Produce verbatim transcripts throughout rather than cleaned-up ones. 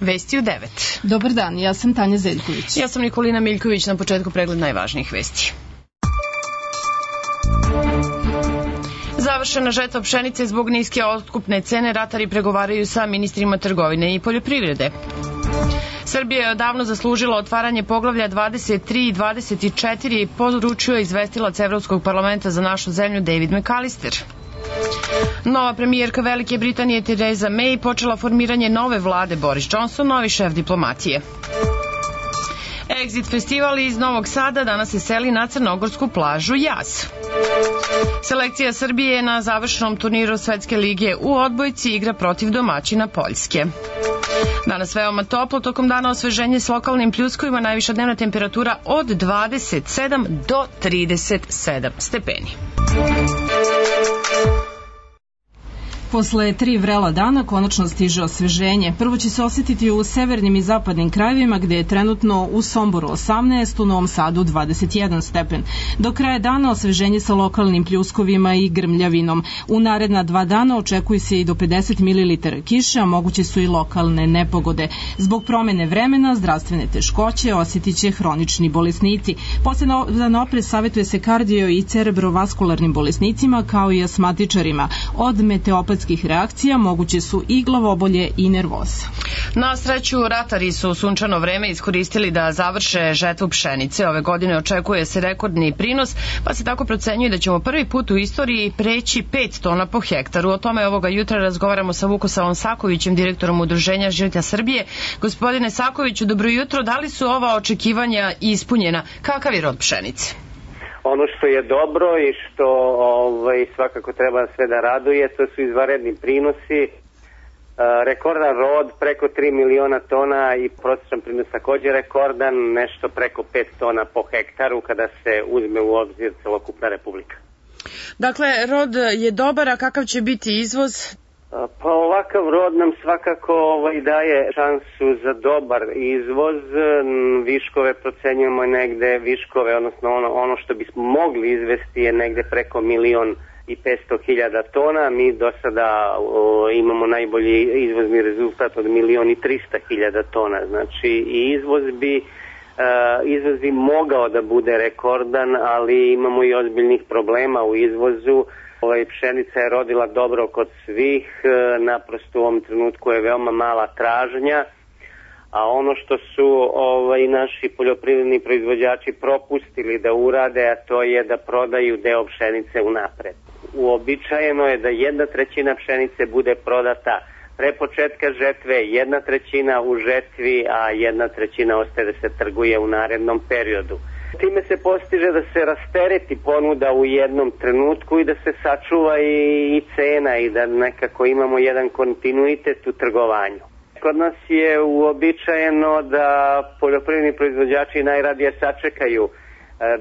Vesti u devet. Dobar dan, ja sam Tanja Zeljković. Ja sam Nikolina Miljković, na početku pregled najvažnijih vesti. Završena žetva pšenice zbog niske otkupne cene, ratari pregovaraju sa ministrima trgovine i poljoprivrede. Srbija je odavno zaslužila otvaranje poglavlja dvadeset tri i dvadeset četiri, poručio je izvestilac Evropskog parlamenta za našu zemlju David McAllister. Nova premijerka Velike Britanije Theresa May počela formiranje nove vlade, Boris Johnson novi šef diplomatije. Exit festival iz Novog Sada danas se seli na crnogorsku plažu Jaz. Selekcija Srbije na završenom turniru Svetske lige u odbojci igra protiv domaćina Poljske. Danas veoma toplo, tokom dana osveženje s lokalnim pljuskovima, najviša dnevna temperatura od dvadeset sedam do trideset sedam stepeni. Posle tri vrela dana konačno stiže osveženje. Prvo će se osjetiti u severnim i zapadnim krajevima, gde je trenutno u Somboru osamnaest, u Novom Sadu dvadeset jedan stepen. Do kraja dana osveženje sa lokalnim pljuskovima i grmljavinom. U naredna dva dana očekuje se i do pedeset mililitara kiše, a moguće su i lokalne nepogode. Zbog promene vremena, zdravstvene teškoće osjetit će hronični bolesnici. Poseban oprez savjetuje se kardio i cerebrovaskularnim bolesnicima, kao i asmatičarima. Od meteopatskih reakcija moguće su i glavobolje i nervoza. Na sreću, ratari su sunčano vreme iskoristili da završe žetvu pšenice. Ove godine očekuje se rekordni prinos, pa se tako procenjuje da ćemo prvi put u istoriji preći pet tona po hektaru. O tome ovoga jutra razgovaramo sa Vukosavom Sakovićem, direktorom Udruženja Žita Srbije. Gospodine Sakoviću, dobro jutro. Da li su ova očekivanja ispunjena? Kakav je rod pšenice? Ono što je dobro i što ovaj, svakako treba sve da raduje, to su izvanredni prinosi. E, rekordan rod preko tri miliona tona i prosječan prinos također rekordan, nešto preko pet tona po hektaru kada se uzme u obzir celokupna republika. Dakle, rod je dobar, a kakav će biti izvoz? Pa ovakav rod nam svakako ovaj, daje šansu za dobar izvoz. Viškove procenjujemo negde, viškove, odnosno ono, ono što bismo mogli izvesti je negde preko milion i petsto hiljada tona. Mi do sada o, imamo najbolji izvozni rezultat od milion i trista hiljada tona. Znači i izvoz bi, e, izvoz bi mogao da bude rekordan, ali imamo i ozbiljnih problema u izvozu. Ovaj, pšenica je rodila dobro kod svih, naprosto u ovom trenutku je veoma mala tražnja, a ono što su ovaj, naši poljoprivredni proizvođači propustili da urade, a to je da prodaju deo pšenice unapred. Uobičajeno je da jedna trećina pšenice bude prodata pre početka žetve, jedna trećina u žetvi, a jedna trećina ostaje da se trguje u narednom periodu. Time se postiže da se rastereti ponuda u jednom trenutku i da se sačuva i, i cena i da nekako imamo jedan kontinuitet u trgovanju. Kod nas je uobičajeno da poljoprivredni proizvođači najradije sačekaju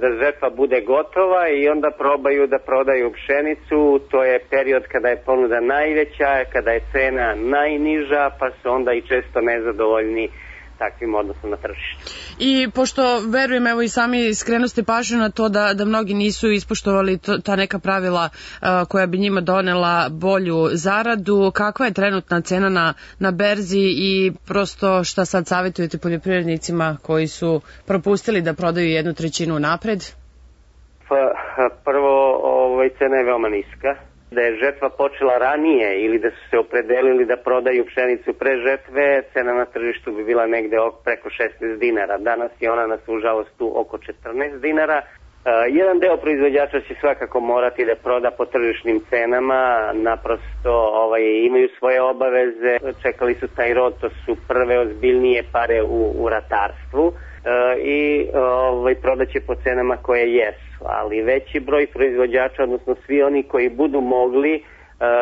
da žetva bude gotova i onda probaju da prodaju pšenicu. To je period kada je ponuda najveća, kada je cena najniža, pa su onda i često nezadovoljni takvim odnosom na tržištu. I pošto verujem, evo i sami skrenuste pažnju na to da, da mnogi nisu ispoštovali to, ta neka pravila uh, koja bi njima donela bolju zaradu, kakva je trenutna cena na, na berzi i prosto šta sad savjetujete poljoprivrednicima koji su propustili da prodaju jednu trećinu napred? Pa, prvo, ovaj, cena je veoma niska. Da je žetva počela ranije ili da su se opredelili da prodaju pšenicu pre žetve, cena na tržištu bi bila negde preko šesnaest dinara. Danas je ona nas u žalost tu oko četrnaest dinara. Uh, jedan deo proizvođača će svakako morati da proda po tržišnim cenama, naprosto ovaj, imaju svoje obaveze, čekali su taj rod, to su prve ozbiljnije pare u, u ratarstvu uh, i ovaj, prodaće po cenama koje jesu. Ali veći broj proizvođača, odnosno svi oni koji budu mogli,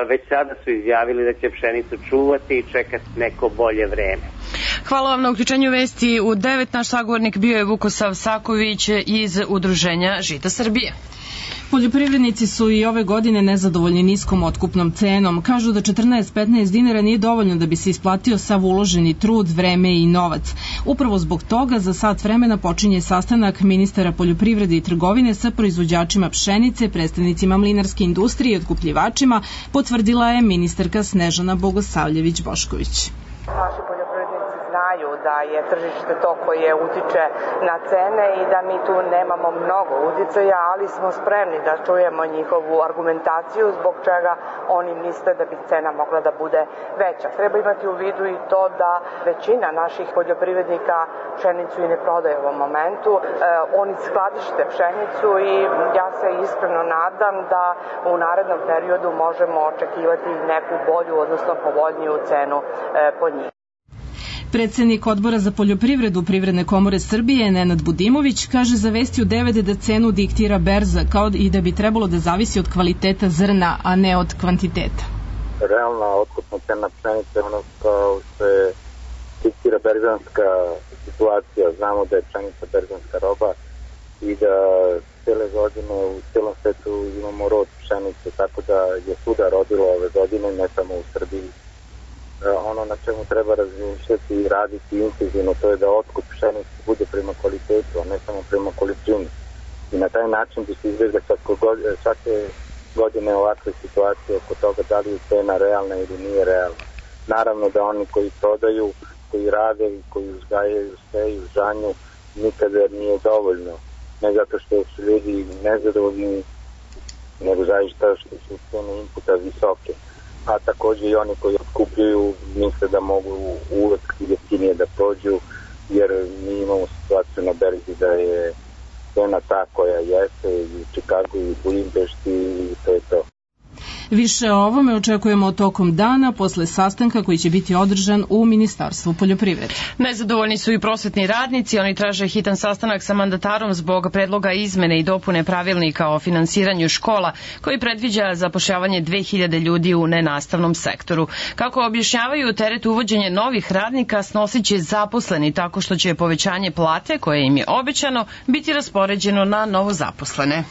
već sada su izjavili da će pšenicu čuvati i čekati neko bolje vreme. Hvala vam na uključenju vesti u devet. Naš sagovornik bio je Vukosav Saković iz Udruženja Žita Srbije. Poljoprivrednici su i ove godine nezadovoljni niskom otkupnom cenom. Kažu da četrnaest do petnaest dinara nije dovoljno da bi se isplatio sav uloženi trud, vreme i novac. Upravo zbog toga za sat vremena počinje sastanak ministara poljoprivrede i trgovine sa proizvođačima pšenice, predstavnicima mlinarske industrije i otkupljivačima, potvrdila je ministarka Snežana Bogosavljević-Bošković. Naši poljoprivrednici znaju da je tržište to koje utiče na cene i da mi tu nemamo mnogo uticaja, ali smo spremni da čujemo njihovu argumentaciju zbog čega oni misle da bi cena mogla da bude veća. Treba imati u vidu i to da većina naših poljoprivrednika pšenicu i ne prodaje u ovom momentu. E, oni skladište pšenicu i ja se iskreno nadam da u narednom periodu možemo očekivati neku bolju, odnosno povoljniju cenu e, po njih. Predsednik Odbora za poljoprivredu Privredne komore Srbije, Nenad Budimović, kaže za Vesti u devet da cenu diktira berza, kao i da bi trebalo da zavisi od kvaliteta zrna, a ne od kvantiteta. Realna otkupna cena pšenice, ono kao se diktira berzanska situacija. Znamo da je pšenica berzanska roba i da cele godine u celom svetu imamo rod pšenice, tako da je svuda rodilo ove godine, ne samo u Srbiji. Ono na čemu treba razmišljati i raditi intenzivno, to je da otkup pšenice bude prema kvalitetu, a ne samo prema količini. I na taj način bi se izbjegla svake godine ovakve situacije oko toga da li je cena realna ili nije realna. Naravno da oni koji prodaju, koji rade i koji uzgajaju sve i žanju, nikada nije dovoljno. Ne zato što su ljudi nezadovoljni, nego zaista što su cene inputa visoke. A takođe i oni koji otkupljuju misle da mogu uvek jeftinije da prođu, jer mi imamo situaciju na berzi da je cena ta koja jeste i u Čikagu i u Budimpešti i to je to. Više o ovome očekujemo tokom dana posle sastanka koji će biti održan u Ministarstvu poljoprivrede. Nezadovoljni su i prosvetni radnici, oni traže hitan sastanak sa mandatarom zbog predloga izmene i dopune pravilnika o finansiranju škola koji predviđa zapošljavanje dve hiljade ljudi u nenastavnom sektoru. Kako objašnjavaju, teret uvođenja novih radnika snosit će zaposleni tako što će povećanje plate koje im je obećano biti raspoređeno na novozaposlene.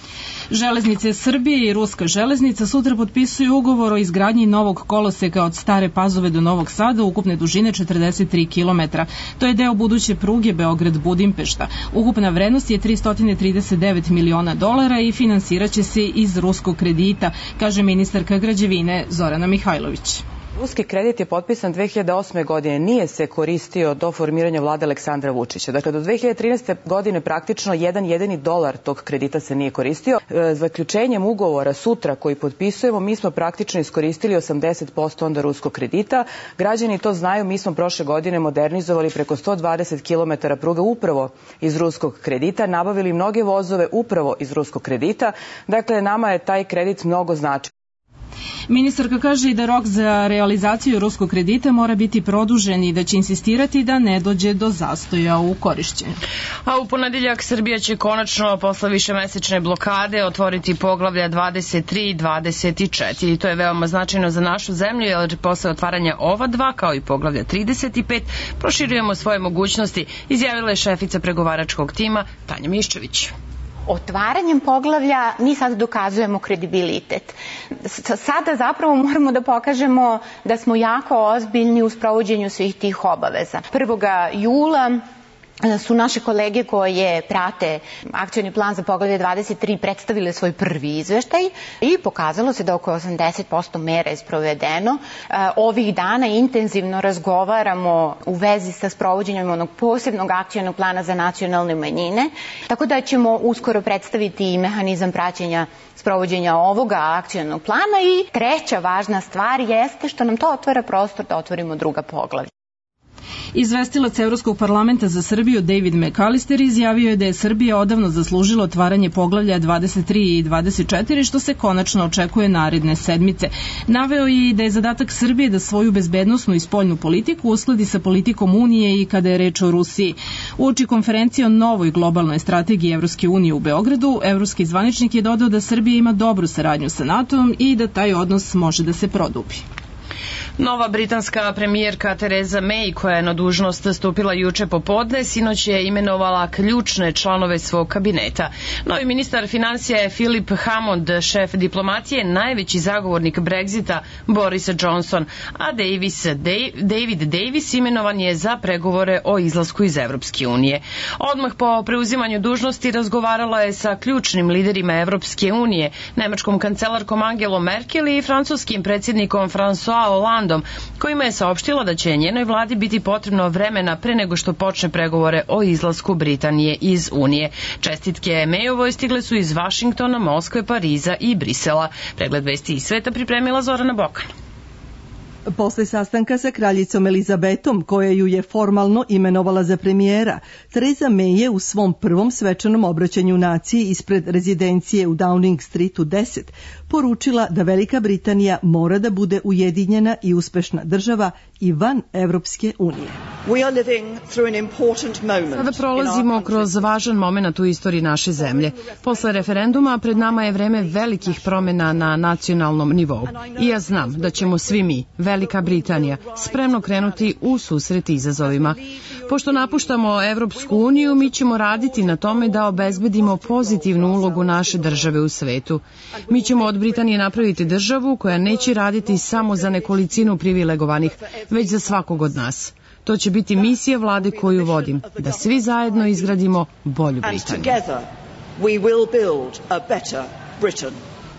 Železnice Srbije i Ruska železnica sutra potpisuju ugovor o izgradnji novog koloseka od Stare Pazove do Novog Sada ukupne dužine četrdeset tri kilometra. To je deo buduće pruge Beograd-Budimpešta. Ukupna vrednost je tristo trideset devet miliona dolara i finansiraće se iz ruskog kredita, kaže ministarka građevine Zorana Mihajlović. Ruski kredit je potpisan dve hiljade osme. godine, nije se koristio do formiranja vlade Aleksandra Vučića. Dakle, do dve hiljade trinaeste. godine praktično jedan jedini dolar tog kredita se nije koristio. Zaključenjem ugovora sutra koji potpisujemo, mi smo praktično iskoristili osamdeset posto onda ruskog kredita. Građani to znaju, mi smo prošle godine modernizovali preko sto dvadeset kilometara pruga upravo iz ruskog kredita, nabavili mnoge vozove upravo iz ruskog kredita. Dakle, nama je taj kredit mnogo značajan. Ministarka kaže i da rok za realizaciju ruskog kredita mora biti produžen i da će insistirati da ne dođe do zastoja u korišćenju. A u ponedeljak Srbija će konačno posle višemesečne blokade otvoriti poglavlja dvadeset tri i dvadeset četiri. To je veoma značajno za našu zemlju jer posle otvaranja ova dva kao i poglavlja trideset pet proširujemo svoje mogućnosti, izjavila je šefica pregovaračkog tima Tanja Miščević. Otvaranjem poglavlja mi sad dokazujemo kredibilitet. Sada zapravo moramo da pokažemo da smo jako ozbiljni u sprovođenju svih tih obaveza. prvog jula su naše kolege koje prate akcioni plan za poglavlje dvadeset tri predstavile svoj prvi izveštaj i pokazalo se da oko osamdeset posto mera je sprovedeno. Ovih dana intenzivno razgovaramo u vezi sa sprovođenjem onog posebnog akcionog plana za nacionalne manjine, tako da ćemo uskoro predstaviti i mehanizam praćenja sprovođenja ovoga akcionog plana. I treća važna stvar jeste što nam to otvara prostor da otvorimo druga poglavlja. Izvestilac Evropskog parlamenta za Srbiju David McAllister izjavio je da je Srbija odavno zaslužila otvaranje poglavlja dvadeset tri i dvadeset četiri, što se konačno očekuje naredne sedmice. Naveo je i da je zadatak Srbije da svoju bezbednosnu i spoljnu politiku uskladi sa politikom Unije i kada je reč o Rusiji. Uoči konferencije o novoj globalnoj strategiji Evropske unije u Beogradu, evropski zvaničnik je dodao da Srbija ima dobru saradnju sa NATO-om i da taj odnos može da se produbi. Nova britanska premijerka Theresa May, koja je na dužnost stupila juče popodne, sinoć je imenovala ključne članove svog kabineta. Novi ministar financija je Philip Hammond, šef diplomatije, najveći zagovornik Brexita Boris Johnson, a Davis, David Davis imenovan je za pregovore o izlasku iz Evropske unije. Odmah po preuzimanju dužnosti razgovarala je sa ključnim liderima Evropske unije, nemačkom kancelarkom Angelom Merkel i francuskim predsjednikom François Hollande, memorandum kojima je saopštila da će njenoj vladi biti potrebno vremena pre nego što počne pregovore o izlasku Britanije iz Unije. Čestitke Mayovoj stigle su iz Vašingtona, Moskve, Pariza i Brisela. Pregled vesti iz sveta pripremila Zorana Bokan. Posle sastanka sa kraljicom Elizabetom, koja ju je formalno imenovala za premijera, Theresa May je u svom prvom svečanom obraćanju naciji ispred rezidencije u Downing Streetu deset poručila da Velika Britanija mora da bude ujedinjena i uspešna država i van Evropske unije. Sada prolazimo kroz važan moment u istoriji naše zemlje. Posle referenduma pred nama je vreme velikih promjena na nacionalnom nivou. I ja znam da ćemo svi mi, Velika Britanija, spremno krenuti u susret izazovima. Pošto napuštamo Evropsku uniju, mi ćemo raditi na tome da obezbedimo pozitivnu ulogu naše države u svetu. Mi ćemo od Britanije napraviti državu koja neće raditi samo za nekolicinu privilegovanih, već za svakog od nas. To će biti misija vlade koju vodim, da svi zajedno izgradimo bolju Britaniju.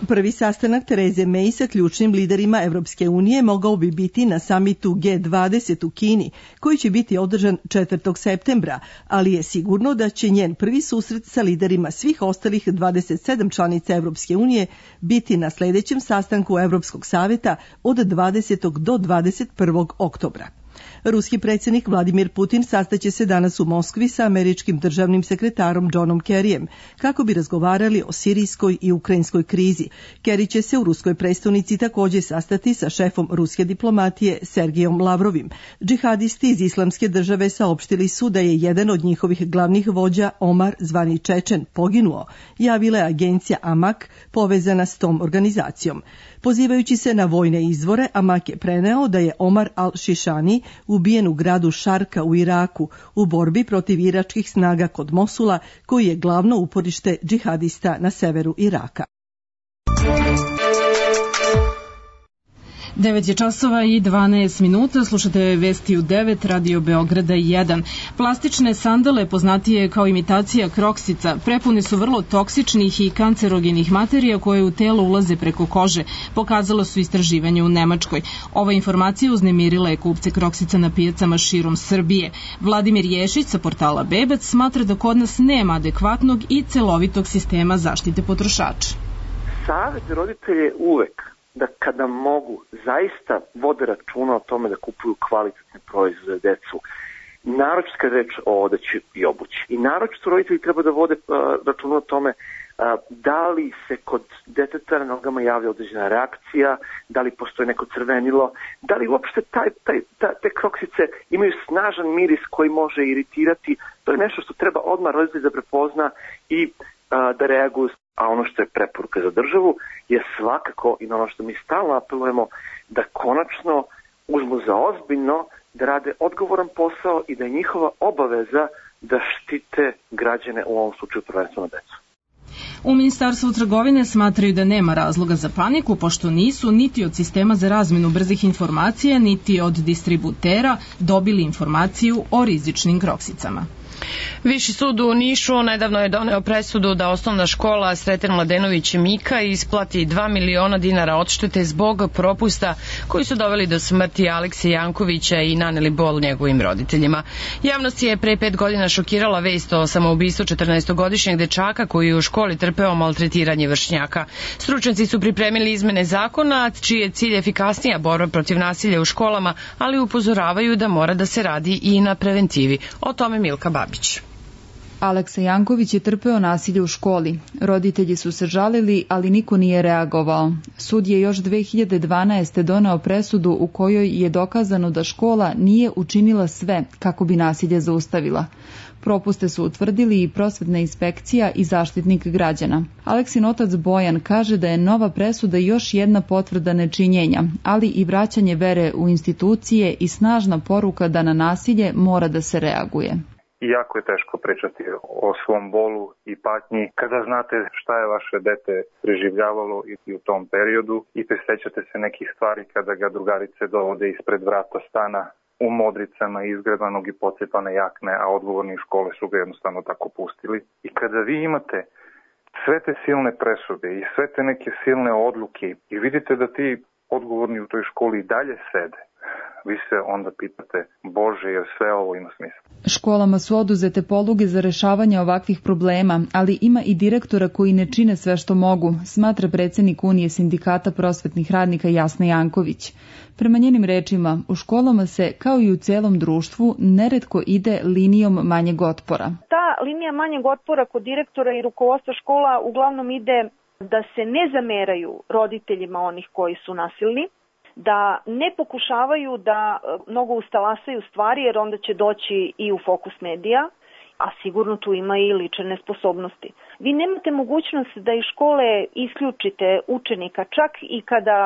Prvi sastanak Therese May sa ključnim liderima Evropske unije mogao bi biti na samitu G dvadeset u Kini, koji će biti održan četvrtog septembra, ali je sigurno da će njen prvi susret sa liderima svih ostalih dvadeset sedam članica Evropske unije biti na sledećem sastanku Evropskog saveta od dvadesetog do dvadeset prvog oktobra. Ruski predsjednik Vladimir Putin sastaće se danas u Moskvi sa američkim državnim sekretarom Johnom Kerryjem kako bi razgovarali o sirijskoj i ukrajinskoj krizi. Kerry će se u ruskoj prestonici također sastati sa šefom ruske diplomatije Sergijom Lavrovim. Džihadisti iz Islamske države saopštili su da je jedan od njihovih glavnih vođa, Omar zvani Čečen, poginuo, javila je agencija Amak povezana s tom organizacijom. Pozivajući se na vojne izvore, Amak je preneo da je Omar al-Šišani ubijen u gradu Šarka u Iraku u borbi protiv iračkih snaga kod Mosula, koji je glavno uporište džihadista na severu Iraka. devet je časova i dvanaest minuta, slušate vesti u devet, Radio Beograda jedan. Plastične sandale, poznatije kao imitacija kroksica, prepune su vrlo toksičnih i kancerogenih materija koje u telo ulaze preko kože, pokazalo su istraživanje u Nemačkoj. Ova informacija uznemirila je kupce kroksica na pijacama širom Srbije. Vladimir Ješić sa portala Bebac smatra da kod nas nema adekvatnog i celovitog sistema zaštite potrošača. Savjet roditelje uvek da kada mogu, zaista vode računa o tome da kupuju kvalitetne proizvode za decu. Naročito kad reč o odeći i obući. I naročito roditelji treba da vode uh, računa o tome uh, da li se kod deteta na nogama javlja određena reakcija, da li postoji neko crvenilo, da li uopšte taj, taj, ta, te kroksice imaju snažan miris koji može iritirati. To je nešto što treba odmah roditelj da prepozna i uh, da reaguju. A ono što je preporuka za državu je svakako, i na ono što mi stalno apelujemo, da konačno uzmu za ozbiljno, da rade odgovoran posao i da je njihova obaveza da štite građane, u ovom slučaju prvenstveno decu. U Ministarstvu trgovine smatraju da nema razloga za paniku, pošto nisu niti od sistema za razmenu brzih informacija, niti od distributera dobili informaciju o rizičnim kroksicama. Viši sud u Nišu nedavno je doneo presudu da osnovna škola Sreten Mladenović Mika isplati dva miliona dinara odštete zbog propusta koji su doveli do smrti Alekse Jankovića i naneli bol njegovim roditeljima. Javnost je pre pet godina šokirala vest o samoubistvu četrnaestogodišnjeg dečaka koji je u školi trpeo maltretiranje vršnjaka. Stručnjaci su pripremili izmene zakona, čiji je cilj efikasnija borba protiv nasilja u školama, ali upozoravaju da mora da se radi i na preventivi. O tome Milka Babić. Aleksa Janković je trpeo nasilje u školi. Roditelji su se žalili, ali niko nije reagovao. Sud je još dve hiljade dvanaeste. doneo presudu u kojoj je dokazano da škola nije učinila sve kako bi nasilje zaustavila. Propuste su utvrdili i prosvetna inspekcija i zaštitnik građana. Aleksin otac Bojan kaže da je nova presuda još jedna potvrda nečinjenja, ali i vraćanje vere u institucije i snažna poruka da na nasilje mora da se reaguje. I jako je teško pričati o svom bolu i patnji kada znate šta je vaše dete preživljavalo i u tom periodu i prisjećate se nekih stvari kada ga drugarice dovode ispred vrata stana u modricama izgrebanog i pocepane jakne, a odgovorni iz škole su ga jednostavno tako pustili. I kada vi imate sve te silne presude i sve te neke silne odluke i vidite da ti odgovorni u toj školi i dalje sede, vi se onda pitate, Bože, jer sve ovo ima smisla. Školama su oduzete poluge za rešavanje ovakvih problema, ali ima i direktora koji ne čine sve što mogu, smatra predsednik Unije sindikata prosvetnih radnika Jasna Janković. Prema njenim rečima, u školama se, kao i u celom društvu, neretko ide linijom manjeg otpora. Ta linija manjeg otpora kod direktora i rukovodstva škola uglavnom ide da se ne zameraju roditeljima onih koji su nasilni, da ne pokušavaju da mnogo ustalasaju stvari jer onda će doći i u fokus medija, a sigurno tu ima i lične nesposobnosti. Vi nemate mogućnost da iz škole isključite učenika, čak i kada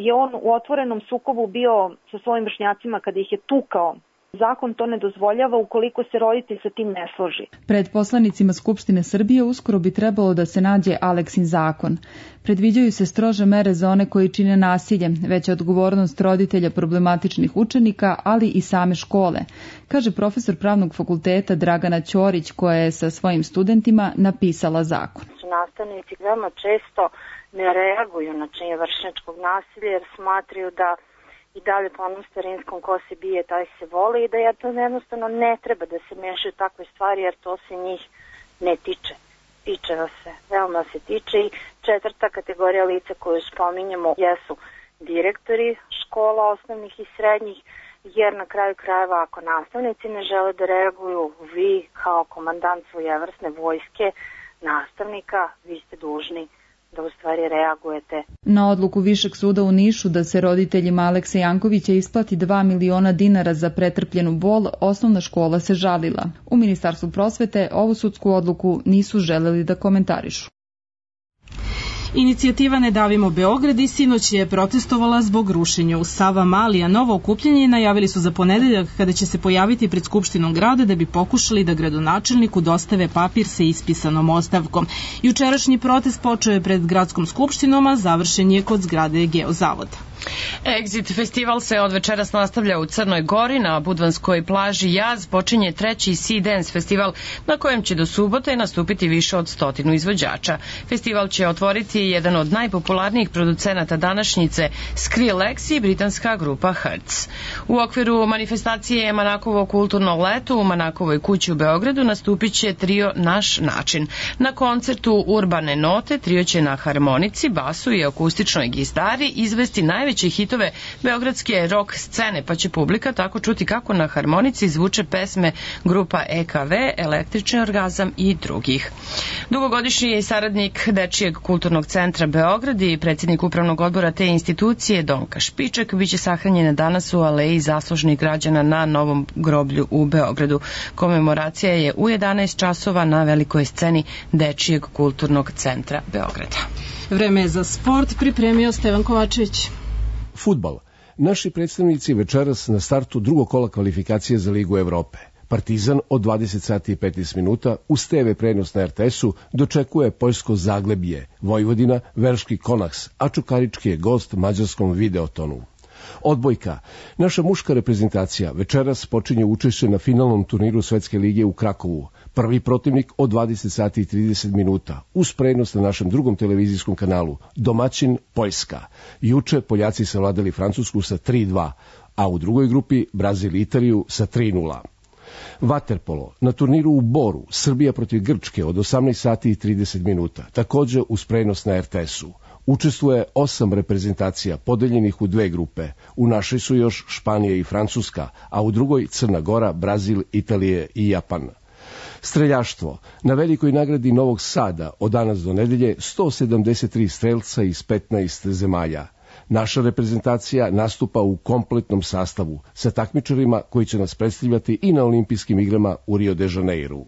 je on u otvorenom sukobu bio sa svojim vršnjacima, kada ih je tukao. Zakon to ne dozvoljava ukoliko se roditelj sa tim ne složi. Pred poslanicima Skupštine Srbije uskoro bi trebalo da se nađe Aleksin zakon. Predviđaju se strože mere za one koji čine nasilje, veća odgovornost roditelja problematičnih učenika, ali i same škole, kaže profesor pravnog fakulteta Dragana Ćorić, koja je sa svojim studentima napisala zakon. Nastavnici veoma često ne reaguju na činjenje vršnjačkog nasilja jer smatraju da i dalje po onom starinskom ko se bije, taj se voli i da je to jednostavno ne treba da se mešaju takve stvari jer to se njih ne tiče. Tiče vas se, veoma se tiče i četvrta kategorija lica koju spominjemo jesu direktori škola osnovnih i srednjih, jer na kraju krajeva ako nastavnici ne žele da reaguju, vi kao komandant svojevrsne vojske nastavnika, vi ste dužni da u stvari reagujete. Na odluku Višeg suda u Nišu da se roditeljima Alekse Jankovića isplati dva miliona dinara za pretrpljenu bol, osnovna škola se žalila. U Ministarstvu prosvete ovu sudsku odluku nisu želeli da komentarišu. Inicijativa Ne davimo Beograd i sinoć je protestovala zbog rušenja u Sava Mali, a novo okupljanje najavili su za ponedeljak kada će se pojaviti pred Skupštinom grada da bi pokušali da gradonačelniku dostave papir sa ispisanom ostavkom. Jučerašnji protest počeo je pred gradskom skupštinom, a završen je kod zgrade Geozavoda. Exit festival se od večeras nastavlja u Crnoj Gori. Na budvanskoj plaži Jaz počinje treći Sea Dance festival na kojem će do subote nastupiti više od stotinu izvođača. Festival će otvoriti jedan od najpopularnijih producenata današnjice, Skrillex i britanska grupa Hertz. U okviru manifestacije Manakovo kulturno leto u Manakovoj kući u Beogradu nastupit će trio Naš način. Na koncertu Urbane note trio će na harmonici, basu i akustičnoj gitari izvesti najveće hitove beogradske rock scene, pa će publika tako čuti kako na harmonici zvuče pesme grupa E K V, Električni orgazam i drugih. Dugogodišnji saradnik Dečijeg kulturnog centra Beograd i predsjednik upravnog odbora te institucije Donka Špiček biće sahranjena danas u aleji zaslužnih građana na Novom groblju u Beogradu. Komemoracija je u jedanaest časova na velikoj sceni Dečijeg kulturnog centra Beograda. Vreme je za sport, pripremio Stevan Kovačević. Fudbal. Naši predstavnici večeras na startu drugog kola kvalifikacije za Ligu Evrope. Partizan od dvadeset sati i petnaest minuta uz te ve prenos na er te esu dočekuje poljsko Zaglebje, Vojvodina, Velški Konaks, a Čukarički je gost mađarskom Videotonu. Odbojka. Naša muška reprezentacija večeras počinje učešće na finalnom turniru Svetske lige u Krakovu. Prvi protivnik od dvadeset sati i trideset minuta uz prenos na našem drugom televizijskom kanalu. Domaćin Poljska. Juče Poljaci savladali Francusku sa tri dva, a u drugoj grupi Brazil i Italiju sa tri nula. Vaterpolo. Na turniru u Boru Srbija protiv Grčke od osamnaest sati i trideset minuta, također uz prenos na er te esu. Učestvuje osam reprezentacija podeljenih u dve grupe. U našoj su još Španija i Francuska, a u drugoj Crna Gora, Brazil, Italije i Japan. Streljaštvo. Na velikoj nagradi Novog Sada od danas do nedelje sto sedamdeset tri strelca iz petnaest zemalja. Naša reprezentacija nastupa u kompletnom sastavu sa takmičarima koji će nas predstavljati i na olimpijskim igrama u Rio de Janeiru.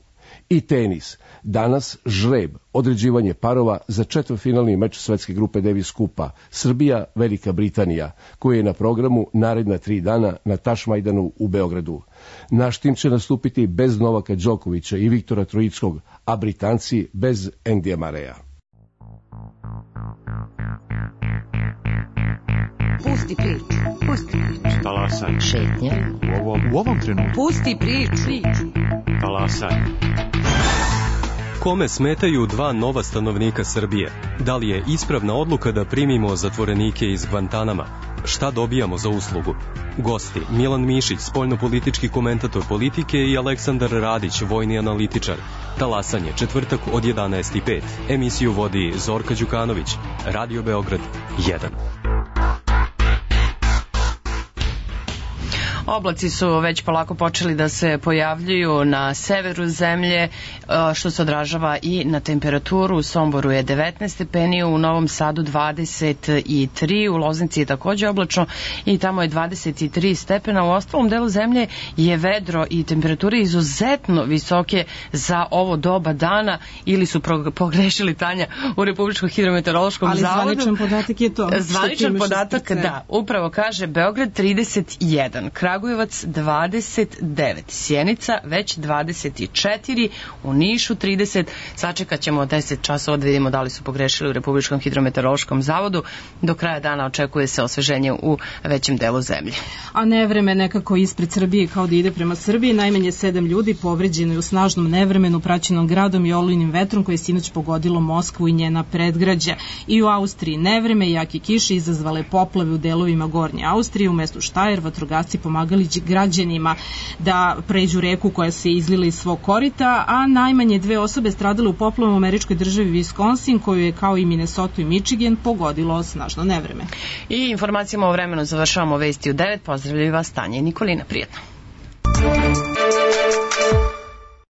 I tenis. Danas žreb, određivanje parova za četvrtfinalni meč svetske grupe Davis Kupa Srbija, Velika Britanija, koji je na programu naredna tri dana na Tašmajdanu u Beogradu. Naš tim će nastupiti bez Novaka Đokovića i Viktora Trojickog, a Britanci bez Endija Mareja. Pusti priču, pusti priču. Talasaj. Šetnja. U ovom, u ovom trenutku. Pusti priču. Talasaj. Kome smetaju dva nova stanovnika Srbije? Da li je ispravna odluka da primimo zatvorenike iz Gvantanama? Šta dobijamo za uslugu? Gosti Milan Mišić, spoljnopolitički komentator politike, i Aleksandar Radić, vojni analitičar. Talasanje, četvrtak od jedanaest i pet. Emisiju vodi Zorka Đukanović. Radio Beograd jedan. Oblaci su već polako počeli da se pojavljuju na severu zemlje, što se odražava i na temperaturu. U Somboru je devetnaest stepeni, u Novom Sadu dvadeset tri, u Loznici je takođe oblačno i tamo je dvadeset tri stepena. U ostalom delu zemlje je vedro i temperature izuzetno visoke za ovo doba dana, ili su pogrešili, Tanja, u Republičkom hidrometeorološkom Ali zavodu. Ali zvaničan podatak je to. Zvaničan podatak, da, upravo kaže Beograd trideset jedan, Kragujevac dvadeset devet, Sjenica već dvadeset četiri, u Nišu trideset. Sačekat ćemo deset časova da vidimo da li su pogrešili u Republičkom hidrometeorološkom zavodu. Do kraja dana očekuje se osveženje u većem delu zemlje. A nevreme nekako ispred Srbije, kao da ide prema Srbiji. Najmanje sedam ljudi povređeno je u snažnom nevremenu praćenom gradom i olujnim vetrom koje je sinoć pogodilo Moskvu i njena predgrađa. I u Austriji nevreme i jake kiše izazvale poplave u delovima Gornje Austrije. U mestu Štajer vatrogasci pomagali građanima da pređu reku koja se izlila iz svog korita, a najmanje dve osobe stradale u poplavama u američkoj državi Wisconsin, koju je kao i Minnesota i Michigan pogodilo snažno nevreme. I informacijama o vremenu završavamo vesti u devet. Pozdravljaju vas Tanja i Nikolina. Prijetno.